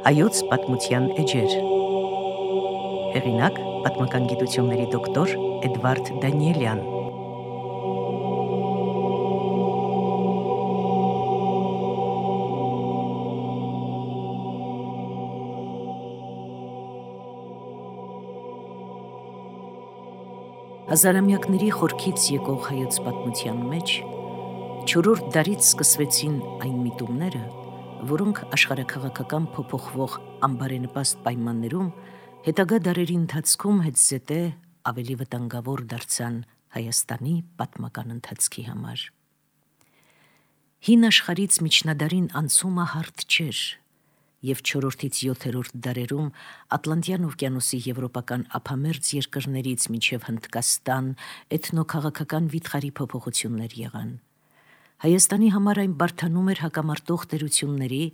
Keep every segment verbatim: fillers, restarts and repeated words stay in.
Հայոց պատմության էջեր։ Հեղինակ պատմական գիտությունների դոկտոր Էդվարդ Դանիելյան։ Հազարամյակների խորքից եկող հայոց պատմության մեջ չորրորդ դարից սկսվեցին այն միտումները, որոնք աշխարհաքաղաքական փոփոխվող անբարենպաստ պայմաններում հետագա դարերի ընթացքում հետզհետե ավելի վտանգավոր դարձան Հայաստանի պատմական ընթացքի համար։ Հին աշխարհից միջնադարին անցումը հարթ չէր, և չորրորդից յոթերորդ դարերում Ատլանտյան օվկիանոսի եվրոպական ափամերձ երկրներից մինչև Հնդկաստան էթնոքաղաքական վիթխարի փոփոխություններ եղան։ Հայաստանի համար այն բարդանում էր հակամարտող տերությունների,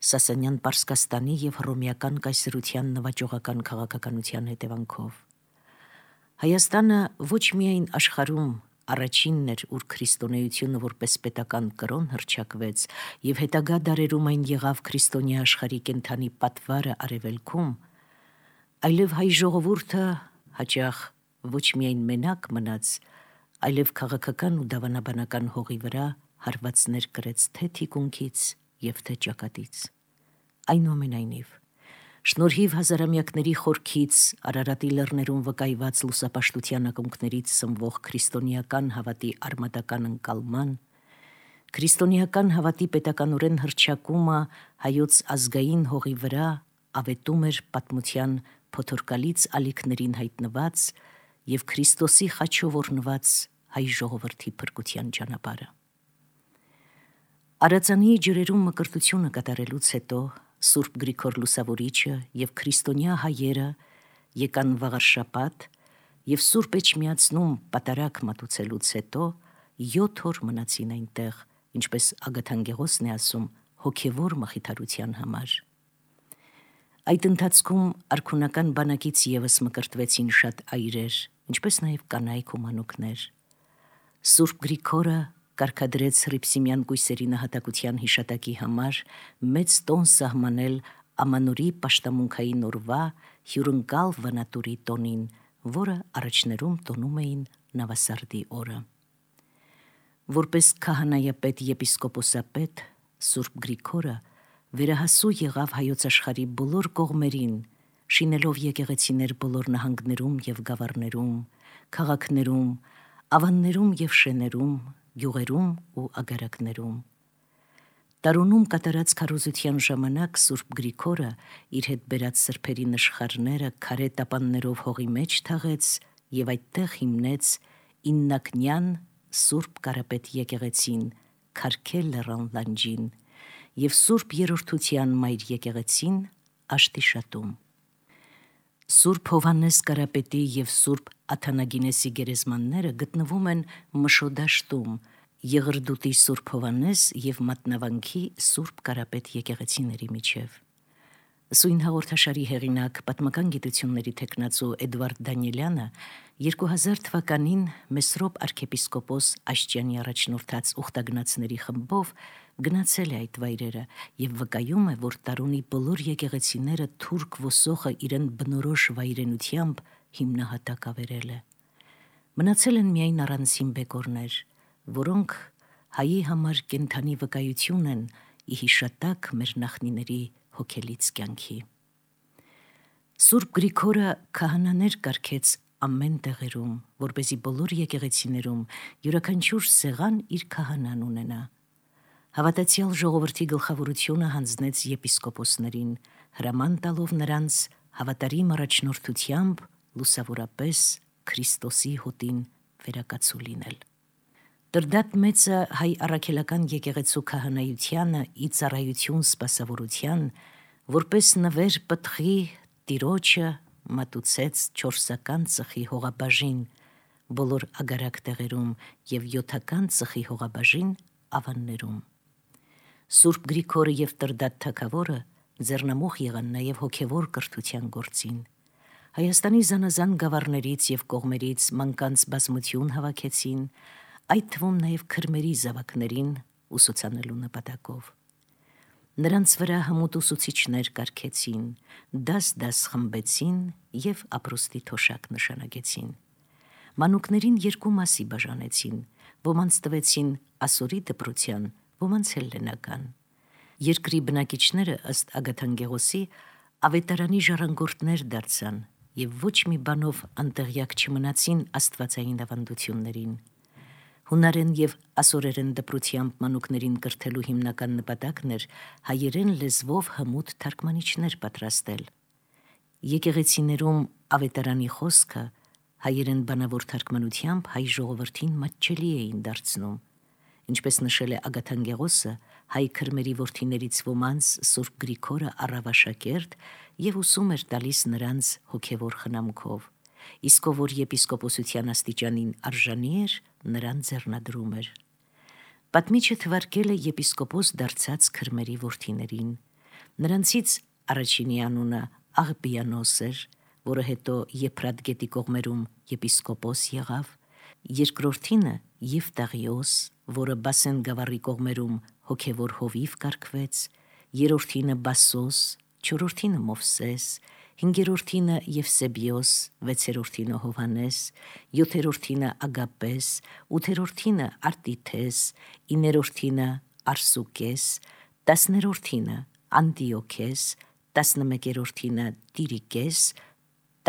Սասանյան Պարսկաստանի և հռոմեական կայսրության նվաճողական քաղաքականության հետևանքով։ Հայաստանը ոչ միայն աշխարհում առաջինն էր, ուր քրիստոնեությունը որպես պետական կրոն հռչակվեց, և հետագա դարերում այն եղավ քրիստոնյա աշխարհի կենդանի պատվարը արևելքում, այլև հայ ժողովուրդը հաճախ ոչ միայն մենակ մնաց, այլև քաղաքական ու դավանաբանական հողի վրա հարվածներ կրեց թե թիկունքից և թե ճակատից։ Այնուամենայնիվ, շնորհիվ հազարամյակների խորքից Արարատի լեռներում վկայված լուսապաշտության ակունքներից սնվող քրիստոնեական հավատի արմատական ընկալման, քրիստոնեական հավատի պետականորեն հռչակումը հայոց ազգային հողի վրա ավետում էր պատմության փոթորկալից ալիքներին հայտնված և Քրիստոսի խաչով օրհնված հայ ժողովրդի փրկության ճանապարհը։ Արածանի ջրերում մկրտությունը կատարելուց հետո Սուրբ Գրիգոր Լուսավորիչը և քրիստոնյա հայերը եկան վաղարշաբաթ և Սուրբ Էջմիածնում պատարագ մատուցելուց հետո յոթ օր մնացին այնտեղ, ինչպես Ագաթանկեղոսն է ասում, հոգևոր մխիթարության համար։ Այդ ընթացքում արքունական բանակից ևս մկրտվեցին շատ այրեր, ինչպես նաև կանայք ու մանուկներ։ Սուրբ Գրիգորը կարգադրեց հռիփսիմյան կույսերի նահատակության հիշատակի համար մեծ տոն սահմանել Ամանորի պաշտամունքային օրվա հյուրընկալ վանատուրի տոնին, որը առաջներում տոնում էին Նավասարդի օրը։ Որպես քահանայապետ եպիսկոպոսապետ, Սուրբ Գրիգորը վերահասու եղավ հայոց աշխարհի բոլոր կողմերին, շինելով եկեղեցիներ բոլոր նահանգներում և գավառներում, քաղաքներում, ավաններում և շեներում, գյուղերում ու ագարակներում։ Տարոնում կատարած քարոզության ժամանակ Սուրբ Գրիգորը իր հետ բերած սրբերի նշխարները քարե տապաններով հողի մեջ թաղեց և այդտեղ հիմնեց իննակնյան Սուրբ Կարապետ եկեղեցին, Քարքե լեռան լանջին, և Սուրբ Երրորդության մայր եկեղեցին Աշտիշատում։ Սուրբ Հովհաննես Կարապետի և Սուրբ Աթանագինեսի գերեզմանները գտնվում են Մշո դաշտում, Եղրդուտի Սուրբ Հովհաննես և Մատնավանքի Սուրբ Կարապետ եկեղեցիների միջև։ Սույն հաղորդաշարի հեղինակ, պատմական գիտությունների թեկնածու Էդվարդ Դանիելյանը երկու հազար թվականին Մեսրոպ arczepiskopos Աշճյանի առաջնորդած ուխտագնացների խմբով գնացել է այդ վայրերը և վկայում է, որ Տարոնի բոլոր եկեղեցիները թուրք ոսոխը իրեն բնորոշ վայրենությամբ հիմնահատակ ավերել է։ Մնացել են միայն առանձին բեկորներ, որոնք հայի համար կենդանի վկայություն են ի հիշատակ մեր նախնիների հոգելից կյանքի։ Սուրբ Գրիգորը քահանաներ կարգեց ամեն տեղերում, որպեսզի բոլոր եկեղեցիներում յուրաքանչյուր սեղան իր քահանան ունենա։ Հավատացյալ ժողովրդի գլխավորությունը հանձնեց եպիսկոպոսներին, հրաման տալով նրանց հավատարիմ առաջնորդությամբ լուսավորապես Քրիստոսի հոտին վերակացու լինել։ Տրդատ մեծը հայ առաքելական եկեղեցու քահանայությանը ի ծառայություն սպասավորության, որպես նվեր պտղի Տիրոջը մատուցեց չորսական ծխի հողաբաժին բոլոր ագարակ տեղերում և յոթական ծխի հողաբաժին ավաններում։ Սուրբ Գրիգորը և Տրդատ թագավորը ձեռնամուխ եղան նաև հոգևոր կրթության գործին։ Հայաստանի զանազան գավառներից և կողմերից մանկանց բազմություն հավաքեցին, այդ թվում նաև քրմերի զավակներին ուսուցանելու նպատակով։ Նրանց վրա հմուտ ուսուցիչներ կարգեցին, դաս-դաս խմբեցին և ապրուստի թոշակ նշանագեցին։ Մանուկներին երկու մասի բաժանեցին, ոմանց տվեցին ասորի դպրության, ոմանց հելլենական։ Երկրի բնակիչները ըստ Ագաթանգեղոսի ավետարանի ժառանգորդներ դարձան և ոչ մի բանով անտեղյակ չմնացին աստվածային ավանդություններին։ Հունարեն և ասորերեն դպրությամբ մանուկներին կրթելու հիմնական նպատակն էր հայերեն լեզվով հմուտ թարգմանիչներ պատրաստել։ Եկեղեցիներում ավետարանի խոսքը հայերեն բանավոր թարգմանությամբ հայ ժողովրդին մատչելի էին դարձնում։ Ինչպես նշել է Ագաթանգեղոսը, հայ քրմերի որդիներից ոմանց Սուրբ Գրիգորը առավ աշակերտ և ուսում էր տալիս նրանց հոգևոր խնամքով, իսկ ով որ եպիսկոպոսության աստիճանին արժանի էր, նրան ձեռնադրում էր։ Պատմիչը թվարկել է եպիսկոպոս դարձած քրմերի որդիներին։ Նրանցից առաջինի անունը Աղբիանոս էր, որը հետո Եփրատ գետի կողմերում եպիսկոպոս եղավ, երկրորդինը Եվտաղիոս, որը Բասեն գավառի կողմերում հոգևոր հովիվ կարգվեց, երրորդինը Բասոս, չորրորդինը Մովսես, հինգերորդինը Եվսեբիոս, վեցերորդինը Հովհանես, յոթերորդինը Ագապես, ութերորդինը Արտիթես, իներորդինը Արսուկես, տասներորդինը Անտիոքես, տասնմեկերորդինը Տիրիկես,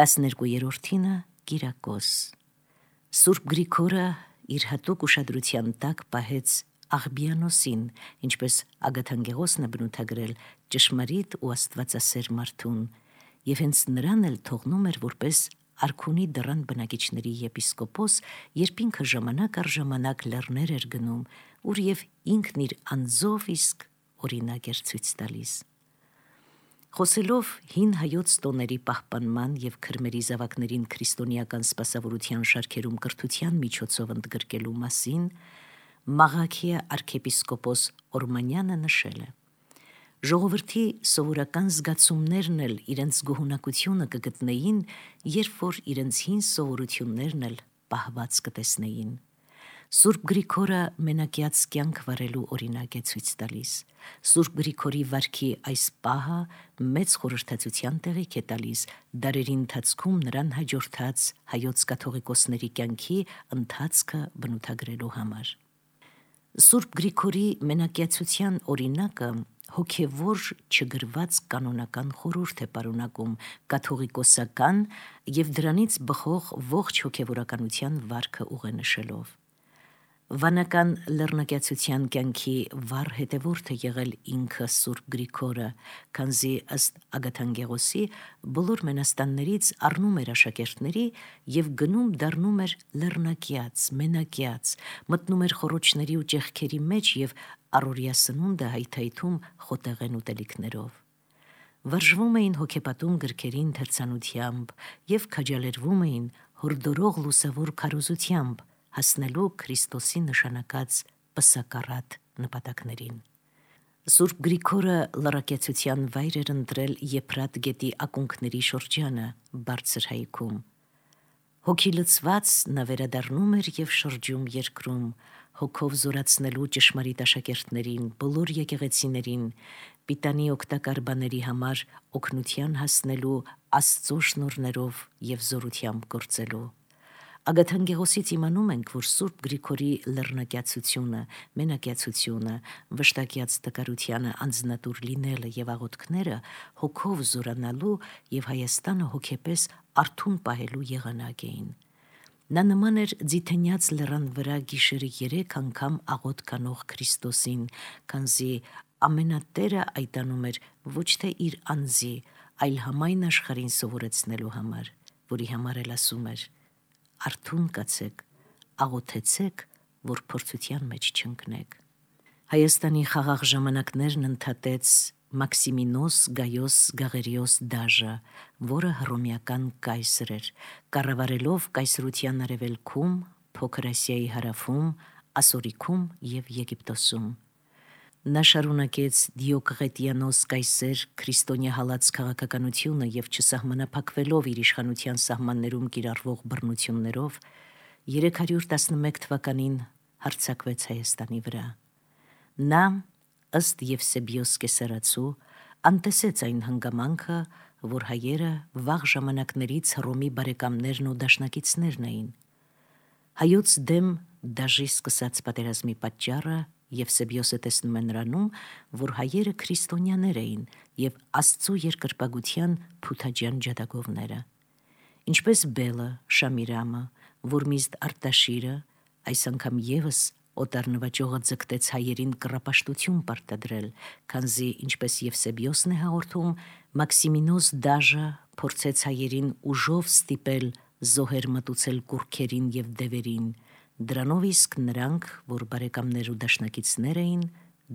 տասներկուերորդինը Կիրակոս։ Սուրբ Գրիգորը իր հատուկ ուշադրության տակ պահեց Աղբիանոսին, ինչպես Ագաթանգեղոսն է բնութագրել ճշմարիտ ու աստվածասեր մարդուն, և հենց նրան էլ թողնում էր որպես արքունի դռան բնակիչների եպիսկոպոս, երբ ինքը ժամանակ առ ժամանակ լեռներ էր գնում, ուր և ինքն իր անձով իսկ օրինակ էր ցույց տալիս։ Խոսելով հին հայոց տոների պահպանման և քրմերի զավակներին քրիստոնեական սպասավորության շարքերում կրթության միջոցով ընդգրկելու մասին, Մաղաքիա արքեպիսկոպոս Օրմանյանը նշել է. «Ժողովրդի սովորական զգացումներն էլ իրենց գոհունակությունը կգտնեին, երբ որ իրենց հին սովորություններն էլ պահված կտեսնեին։ Սուրբ Գրիգորը մենակյաց կյանք վարելու օրինակ է ցույց տալիս։ Սուրբ Գրիգորի վարքի այս պահը մեծ խորհրդածության տեղիք է տալիս դարերի ընթացքում նրան հաջորդած հայոց կաթողիկոսների կյանքի ընթացքը բնութագրելու համար։ Սուրբ Գրիգորի մենակյացության օրինակը հոգևոր չգրված կանոնական խորհուրդ է պարունակում կաթողիկոսական և դրանից բխող ողջ հոգևորականության վարքը ուղենշելով։ Վանական լեռնակյացության կյանքի վառ հետևորդ է եղել ինքը Սուրբ Գրիգորը, քանզի ըստ Ագաթանգեղոսի բոլոր մենաստաններից առնում էր աշակերտների և գնում դառնում էր լեռնակյաց, մենակյաց, մտնում էր խոռոչների ու ճեղքերի մեջ և առօրյա սնունդը հայթայթում խոտեղեն ուտելիքներով։ Վարժվում էին հոգեպատում գրքերի ընթերցանությամբ և քաջալերվում էին հորդորող լուսավոր քարոզությամբ հասնելու Քրիստոսի նշանակած պսակառատ նպատակներին։ Սուրբ Գրիգորը լռակեցության վայր էր ընտրել Եփրատ գետի ակունքների շրջանը բարձր հայքում։ Հոգի լցված նա վերադառնում էր և շրջում երկրում, հոգով զորացնելու ճշմարիտ աշակերտներին, բոլոր եկեղեցիներին, պիտանի օգտակար բաների համար օգնության հասնելու Աստծո շնորհներով և զորությամբ գործելու։ Ագաթանգեղոսից իմանում ենք, որ Սուրբ Գրիգորի լեռնակյացությունը, մենակյացությունը, վշտակյաց տկարությանը անձնատուր լինելը և աղոթքները հոգով զորանալու և Հայաստանը հոգեպես արթուն պահելու եղանակ էին։ Նա նման էր ձիթենյաց լեռան վրա գիշերը երեք անգամ աղոթք անող Քրիստոսին, քանզի ամենատերը այդ անում էր ոչ թե իր անձի, այլ համայն աշխարհին սովորեցնելու համար, որի համար էլ ասում էր. «Արթուն կացեք, աղոթեցեք, որ փորձության մեջ չընկնեք»։ Հայաստանի խաղաղ ժամանակներն ընդհատեց Մաքսիմինոս Գայոս Գաղերիոս դաժը, որը հռոմեական կայսր էր, կառավարելով կայսրության արևելքում, Փոքր Ասիայի հարավում, Ասորիքում և Եգիպտոսում։ Նա շարունակեց Դիոկղետիանոս կայսեր քրիստոնյա հալած քաղաքականությունը և չսահմանափակվելով իր իշխանության սահմաններում կիրառվող բռնություններով, երեք հարյուր տասնմեկ թվականին հարձակվեց Հայաստանի վրա։ Նա ըստ Եվսեբիոս կեսարացու, անտեսեց այն հանգամանքը, որ հայերը վաղ ժամանակներից Հռոմի բարեկամներն ու դաշնակիցներն էին։ Հայոց դեմ դաժի սկսած պատերազմի պատճառը Եվսեբիոսը տեսնում է նրանում, որ հայերը քրիստոնյաներ էին և Աստծու երկրպագության փութաջան ջատագովները։ Ինչպես Բելը, Շամիրամը, Որմիզդ Արտաշիրը, այս անգամ ևս օտար նվաճողը ձգտեց հայերին կռապաշտություն պարտադրել, քանզի, ինչպես Եվսեբիոսն է հաղորդում, Մաքսիմինոս դաժը փորձեց հայերին ուժով ստիպել զոհեր մատուցել կուռքերին և դևերին, դրանով իսկ նրանք, որ բարեկամներ ու դաշնակիցներ էին,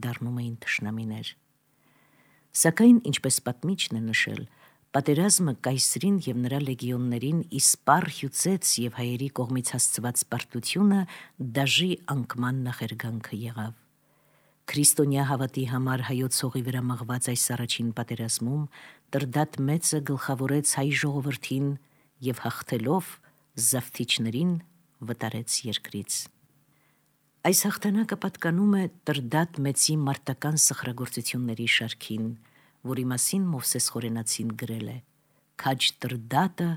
դառնում էին թշնամիներ։ Սակայն, ինչպես պատմիչն է նշել, պատերազմը կայսրին և նրա լեգիոններին իսպառ հյուծեց և հայերի կողմից հասցված պարտությունը դաժի անկման նախերգանքը եղավ։ Քրիստոնյա հավատի համար հայոց հողի վրա մղված այս առաջին պատերազմում Տրդատ մեծը գլխավորեց հայ ժողովրդին և հաղթելով զավթիչներին վտարեց երկրից։ Այս հաղթանակը պատկանում է Տրդատ մեծի մարտական սխրագործությունների շարքին, որի մասին Մովսես Խորենացին գրել է. «Քաջ Տրդատը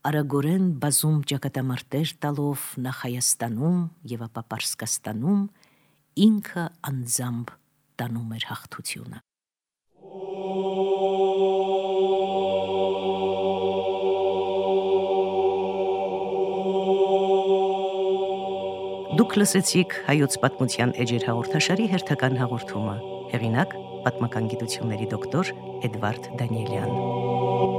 արագորեն բազում ճակատամարտեր տալով նախ Հայաստանում և ապա Պարսկաստանում ինքը անձամբ տանում էր հաղթությունը»։ Դուք լսեցիք Հայոց պատմության էջեր հաղորդաշարի հերթական հաղորդումը։ Հեղինակ՝ պատմական գիտությունների դոկտոր Էդվարդ Դանիելյան։